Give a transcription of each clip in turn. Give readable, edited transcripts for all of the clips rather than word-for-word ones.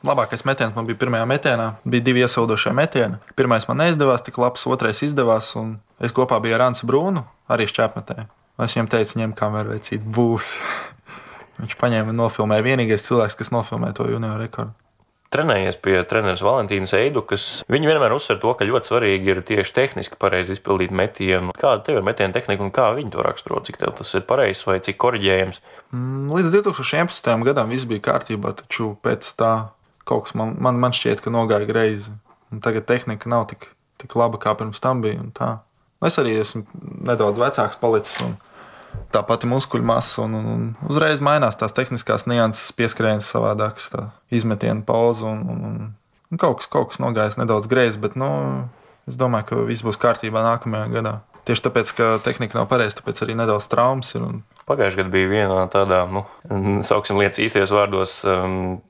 Labākais metiens man bija pirmajā metienā. Bija 2 iesildošie metieni. Pirmais man neizdevās, tik labs, otrais izdevās. Es kopā biju ar Ansu Brūnu, arī šķēpmetēju. Es viņam teicu, ņem kameru, vecīt, būs. Viņš paņēma un nofilmēja. Vienīgais cilvēks, kas nofilmē to junioru rekordu. Trenējies pie treneris Valentīnas Eidukas. Viņi vienmēr uzsver to, ka ļoti svarīgi ir tieši tehniski pareizi izpildīt metienu. Kāda tev ir metiena tehnika un kā viņi to raksturo? Cik tev tas ir pareizs vai cik koriģējams? Līdz 2011. gadam viss bija kārtībā, taču pēc tā kaut kas man šķiet, ka nogāja greizi. Un tagad tehnika nav tik laba, kā pirms tam bija. Es arī esmu nedaudz vecāks palicis. Tā pati muskuļu masa un uzreiz mainās tās tehniskās nianses, pieskrējas savādākas, tā izmetiena pauze un kaut kas nogājis nedaudz greizi, bet es domāju, ka viss būs kārtībā nākamajā gadā. Tieši tāpēc, ka tehnika nav pareiza, tāpēc arī nedaudz traumas ir. Pagājušajā gadā bija viena tādā, sauksim lietas īstajos vārdos,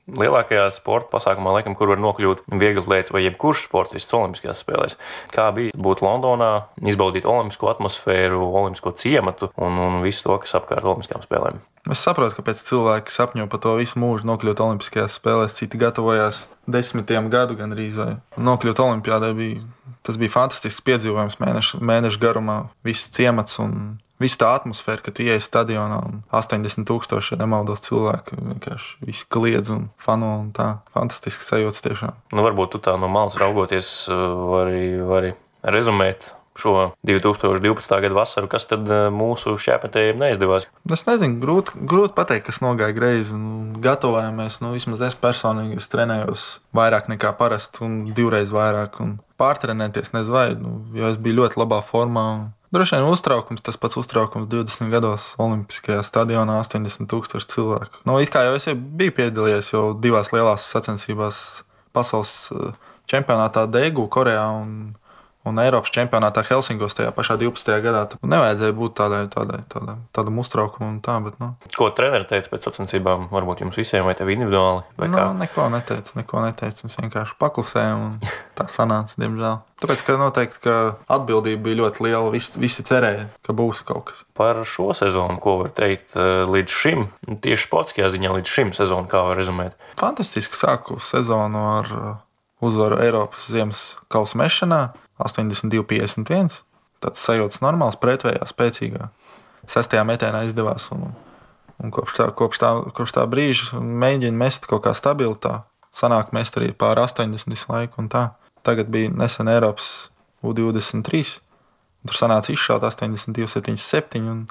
lielākajā sporta pasākumā, laikam, kur var nokļūt vieglatlētis vai jebkurš sportists olimpiskajās spēlēs. Kā bija būt Londonā, izbaudīt olimpisko atmosfēru, olimpisko ciematu un visu to, kas apkārt olimpiskajām spēlēm? Es saprotu, kāpēc cilvēki sapņo par to visu mūžu nokļūt olimpiskajās spēlēs. Citi gatavojās 10 gadu gandrīz. Nokļūt olimpiādē bija fantastisks piedzīvojums mēnešu garumā. Viss ciemats un visa tā atmosfēra, kad tu ieej stadionā un 80,000, ja nemaldos, cilvēku vienkārši visi kliedz un fano un tā. Fantastisks sajūtas tiešām. Varbūt tu tā no malas raugoties vari rezumēt šo 2012. gada vasaru, kas tad mūsu šķēpmetējiem neizdevās? Es nezinu, grūti pateikt, kas nogāja greizi. Gatavojāmies, vismaz es personīgi trenējos vairāk nekā parasti un 2 reizes vairāk. Pārtrenēties nezinu, jo es biju ļoti labā formā. Droši vien uztraukums, tas pats uztraukums 20 gados Olimpiskajā stadionā 80,000 cilvēku. It kā jau es biju piedalījies jau 2 lielās sacensībās pasaules čempionātā Daegu, Korejā un Eiropas čempionātā Helsinkos tajā pašā 12. gadā. Nevajadzēja būt tādam uztraukumam un tā, bet. Ko treneri teica pēc sacensībām? Varbūt jums visiem vai tev individuāli? Neko neteicu. Mēs vienkārši paklusējām un tā sanāca, diemžēl. Tāpēc, ka noteikti, ka atbildība bija ļoti liela. Visi cerēja, ka būs kaut kas. Par šo sezonu, ko var teikt līdz šim? Tieši sportiskajā ziņā līdz šim sezonu, kā var rezumēt? Fantastiski sāku sezonu ar uzvaru Eiropas ziemas kausa mešanā. 82-51. Tāds sajūtas normāls, pretvējā, spēcīgā. 6. metienā izdevās un kopš tā brīža mēģina mest kaut kā stabili. Tā sanāk mest arī pār 80 visu laiku un tā. Tagad bija nesen Eiropas U23. Tur sanāca izšaut 82-77 un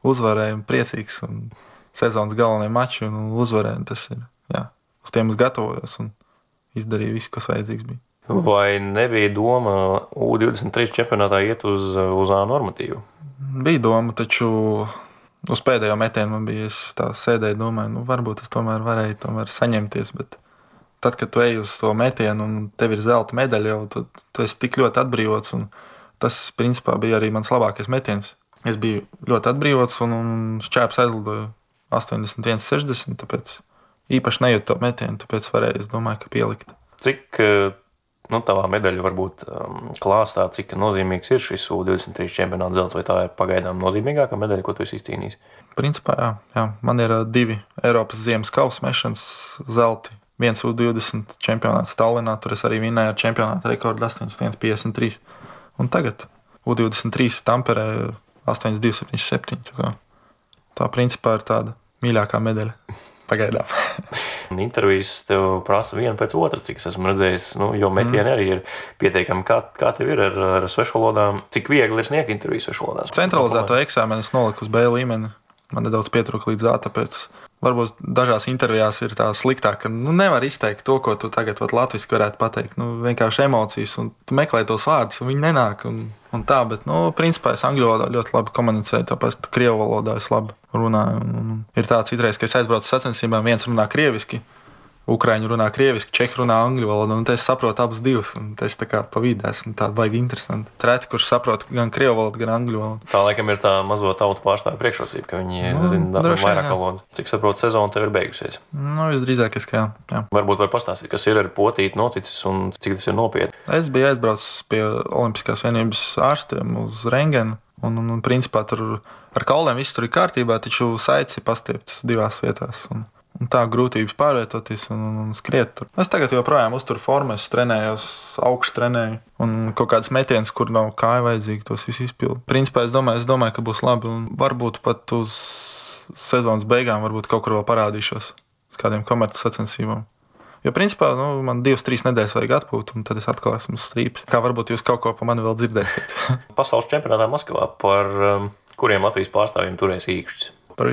uzvarēja priecīgs un sezonas galvenie mači un uzvarēja. Tas ir, uz tiem es gatavojos un izdarīju visu, kas vajadzīgs bija. Vai nebija doma U23 čempionātā iet uz A normatīvu? Bija doma, taču uz pēdējo metienu man bija, es tā sēdēju, domāju, varbūt es tomēr varēju saņemties, bet tad, kad tu ej uz to metienu un tev ir zelta medaļa, jau tad tu esi tik ļoti atbrīvots un tas, principā, bija arī mans labākais metiens. Es biju ļoti atbrīvots un šķēps aizlidoju 81-60, tāpēc īpaši nejūtu to metienu, tāpēc varēju, es domāju, ka pielikt. Cik tavā medaļa varbūt klāstā, cik nozīmīgs ir šis U23 čempionāta zelts, vai tā ir pagaidām nozīmīgākā medaļa, ko tu esi izcīnījis? Principā, jā. Man ir 2 Eiropas ziemas kausa mešanas zelti. Viens U20 čempionāts Tallinā, tur es arī vinēju ar čempionāta rekordu 81-53. Un tagad U23 Tamperē 82-77. Tā principā ir tāda mīļākā medaļa. Pagaidām. Intervijas tev prasa vienu pēc otras, cik es esmu redzējis, jo metieni arī ir pieteikami. Kā tev ir ar svešvalodām? Cik viegli ir sniegt intervijas svešvalodās? Centralizēto eksāmenu es noliku uz B līmeni. Man nedaudz pietrūka līdz A, tāpēc varbūt dažās intervijās ir tā sliktāk, ka nevar izteikt to, ko tu tagad latviski varētu pateikt. Vienkārši emocijas, un tu meklē tos vārdus, un viņi nenāk. Un tā, bet, principā es angļu valodā ļoti labi komunicēju, tāpēc krievu valodā es labi runāju. Un ir tā citreiz, ka es aizbraucu sacensībām, viens runā krieviski, Ukraiņi runā krieviski, čehi runā angļu valodu, un es saprotu abas divas, un es tā kā pa vidu esmu tā baigi interesanti. Treti, kurš saprot gan krievu valodu, gan angļu valodu. Tā laikam ir tā mazo tautu pārstāvju priekšrocība, ka viņi zina vairāk valodas. Cik saprotu, sezona tev ir beigusies? Visdrīzākais, ka jā. Varbūt var pastāstīt, kas ir ar potīti noticis un cik tas ir nopietni. Es biju aizbraucis pie Olimpiskās vienības ārstiem uz rengenu, un principā tur ar kauliem viss tur ir kārtībā, taču saites ir pastieptas 2 vietās. Un tā grūtības pārvietoties un skriet tur. Es tagad joprojām uzturu formu, es trenējos, augšu trenēju. Un kaut kādas metienas, kur nav kāja vajadzīgi, tos visu izpildu. Principā es domāju, ka būs labi. Un varbūt pat uz sezonas beigām varbūt kaut kur vēl parādīšos uz kādiem komerces sacensībām. Jo principā man 2-3 nedēļas vajag atpūt, un tad es atkal esmu strīps. Kā varbūt jūs kaut ko pa mani vēl dzirdēsiet. Pasaules čempionātā Maskavā par kuriem Latvijas pārstāvjiem turēs īkšķis? Par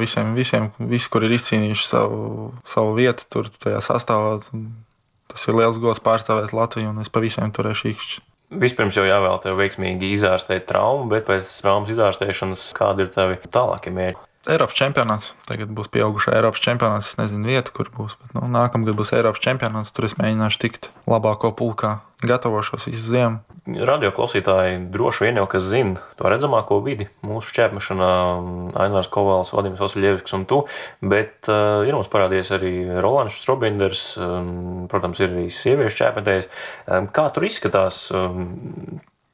visiem, visi, kur ir izcīnījuši savu vietu tur tajā sastāvā. Tas ir liels gods pārstāvēt Latviju, un es pa visiem turēšu īkšķi. Vispirms jau jāvēl tev veiksmīgi izārstēt traumu, bet pēc traumas izārstēšanas kādi ir tavi tālākie mērķi? Eiropas čempionāts. Tagad būs pieaugušā Eiropas čempionāts. Es nezinu vietu, kur būs, bet nākamgad būs Eiropas čempionāts. Tur es mēģināšu tikt labāko pulkā. Gatavošos visu ziemu. Radio klausītāji droši vien jau kas zina to redzamāko vidi mūsu šķēpmešanā, Ainārs Kovāls, Vadims Vasiljevskis un tu, bet ir mums parādījies arī Rolands Strobinders, protams, ir arī sieviešu šķēpmetējs. Kā tur izskatās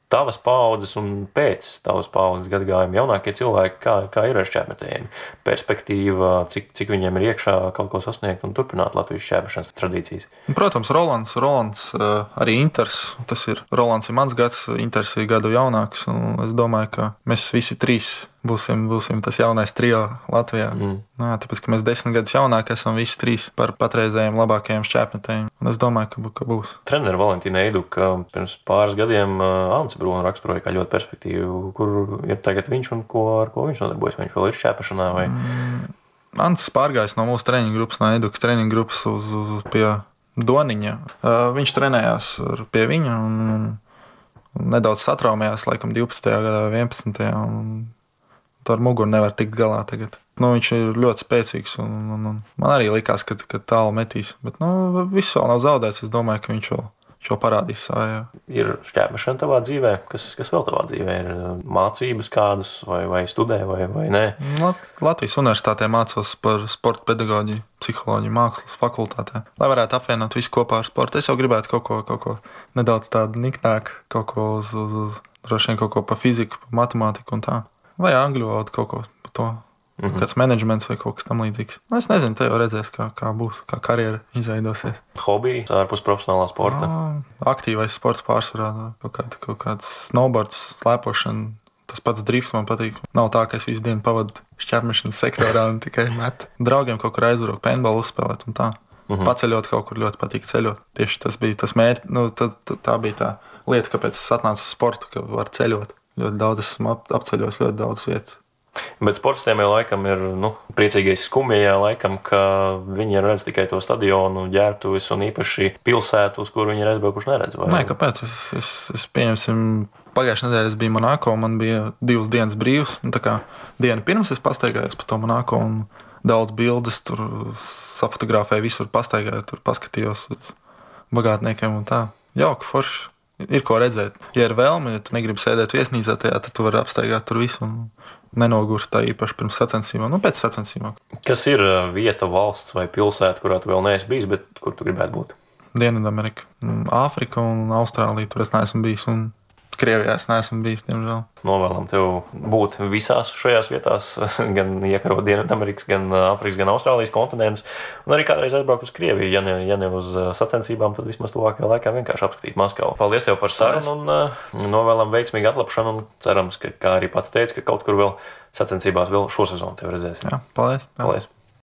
tavas paaudzes un pēc tavas paaudzes gadagājuma jaunākie cilvēki, kā ir ar šķēpmetējiem? Perspektīva, cik viņiem ir iekšā kaut ko sasniegt un turpināt Latvijas šķēpmešanas tradīcijas? Protams, Rolands arī Inters. Tas ir Rolands ir mans gads, Inters ir gadu jaunāks. Es domāju, ka mēs visi trīs būsim tas jaunais trio Latvijā. Tāpēc, ka mēs 10 gadus jaunāki esam visi trīs par patreizējiem labākajiem šķēpmetējiem. Un es domāju, ka būs. Treneris Valentīna Eiduka pirms pāris gadiem Ants Brūna raksturoja kā ļoti perspektīvu, kur ir tagad viņš un ar ko viņš nodarbojas. Viņš vēl ir šķēpmešanā vai? Ants pārgājis no mūsu treniņu grupas, no Eidukas treniņu grupas uz pie Doniņa. Viņš trenējās pie viņa un nedaudz satraumējās laikam 12. gadā vai 11. un ar muguru nevar tikt galā tagad. Viņš ir ļoti spēcīgs un man arī likās, ka tālu metīs. Bet viss vēl nav zaudēts. Es domāju, ka viņš vēl parādīs savā. Ir šķēpmešana tavā dzīvē? Kas vēl tavā dzīvē ir? Mācības kādas vai studē vai nē? Latvijas universitātē mācos par sporta pedagoģiju, psiholoģiju, mākslas fakultātē. Lai varētu apvienot visu kopā ar sportu. Es jau gribētu kaut ko nedaudz tādu niknāku, kaut ko uz droši vien kaut ko pa fiziku, pa matemātiku un tā. Vai angļu valodu kaut ko par to. Kāds menedžments vai kaut kas tam līdzīgs. Es nezinu, te jau redzēs, kā būs, kā karjera izveidosies. Hobiji ārpus profesionālā sporta? Aktīvais sports pārsvarā. Kaut kāds snowboards, slēpošana. Tas pats drifts man patīk. Nav tā, ka es visu dienu pavadu šķēpmešanas sektorā un tikai metu. Draugiem kaut kur aizvarot, paintballu uzspēlēt un tā. Paceļot kaut kur ļoti patīk ceļot. Tieši tas bija tas mērķis. Tā bija tā lieta, kāpēc es atnācu uz sportu, ka var ceļot. Ļoti daudz esmu apceļos, ļoti daudz vietas. Bet sportistiem jau laikam ir priecīgais skumjajā laikam, ka viņi redz tikai to stadionu, ģērbtuves un īpaši pilsētu, uz kuru viņi ir aizbraukuši neredz. Nē, kāpēc? Es pieņemsim, pagājušajā nedēļā es biju Monako, man bija 2 dienas brīvs. Tā kā dienu pirms es pastaigājos pa to Monako un daudz bildes tur safotografēju, visur pastaigāju, tur paskatījos uz bagātniekiem un tā. Jauki, forši. Ir ko redzēt. Ja ir vēlme, ja tu negribi sēdēt viesnīcā tajā, tad tu vari apstaigāt tur visu un nenogurst tā īpaši pirms sacensībām, pēc sacensībām. Kas ir vieta, valsts vai pilsēta, kurā tu vēl neesi bijis, bet kur tu gribētu būt? Dienvidamerika, Āfrika un Austrālija, tur es neesmu bijis un Krievijā es neesmu bijis, diemžēl. Novēlam tev būt visās šajās vietās, gan iekarot Dienvidamerikas, gan Āfrikas, gan Austrālijas kontinentus, un arī kādreiz aizbraukt uz Krieviju, ja ne uz sacensībām, tad vismaz tuvākajā laikā vienkārši apskatīt Maskavu. Paldies tev par sarunu un novēlam veiksmīgu atlapšanu un cerams, ka, kā arī pats teica, ka kaut kur vēl sacensībās vēl šo sezonu tev redzēsim. Jā, paldies.